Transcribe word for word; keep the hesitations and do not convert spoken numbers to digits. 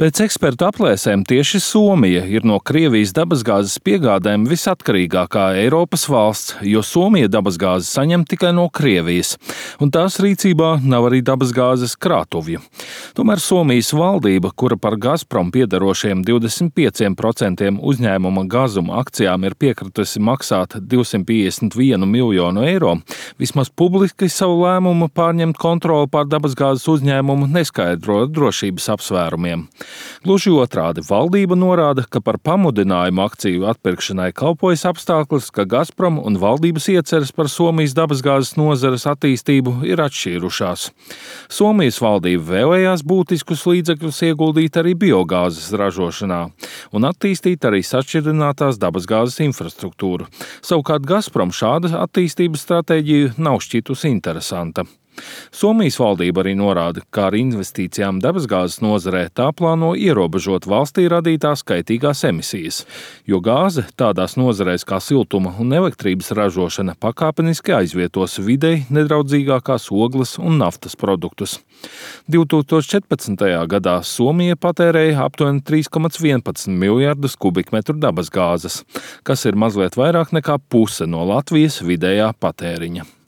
Pēc ekspertu aplēsēm tieši Somija ir no Krievijas dabasgāzes piegādēm visatkarīgākā Eiropas valsts, jo Somija dabasgāzi saņem tikai no Krievijas, un tās rīcībā nav arī dabasgāzes krātuvju. Tomēr Somijas valdība, kura par Gazprom piederošiem divdesmit pieciem procentiem uzņēmuma Gazuma akcijām ir piekritusi maksāt divsimt piecdesmit vienu miljonu eiro, vismaz publiski savu lēmumu pārņemt kontroli pār dabasgāzes uzņēmumu neskaidro drošības apsvērumiem. Gluži otrādi, valdība norāda, ka par pamudinājumu akciju atpirkšanai kalpojas apstākļus, ka Gazprom un valdības ieceres par Somijas dabasgāzes nozares attīstību ir atšķīrušās. Somijas valdība vēlējās būtiskus līdzekļus ieguldīt arī biogāzes ražošanā un attīstīt arī sašķidrinātās dabasgāzes infrastruktūru. Savukārt Gazprom šāda attīstības stratēģija nav šķitusi interesanta. Somijas valdība arī norāda, ka ar investīcijām dabasgāzes nozarē tā plāno ierobežot valstī radītās kaitīgās emisijas, jo gāze tādās nozarēs kā siltuma un elektrības ražošana pakāpeniski aizvietos videi nedraudzīgākās ogles un naftas produktus. divi tūkstoši četrpadsmitajā gadā Somija patērēja aptuveni trīs komats vienpadsmit miljardus kubikmetru dabasgāzes, kas ir mazliet vairāk nekā puse no Latvijas vidējā patēriņa.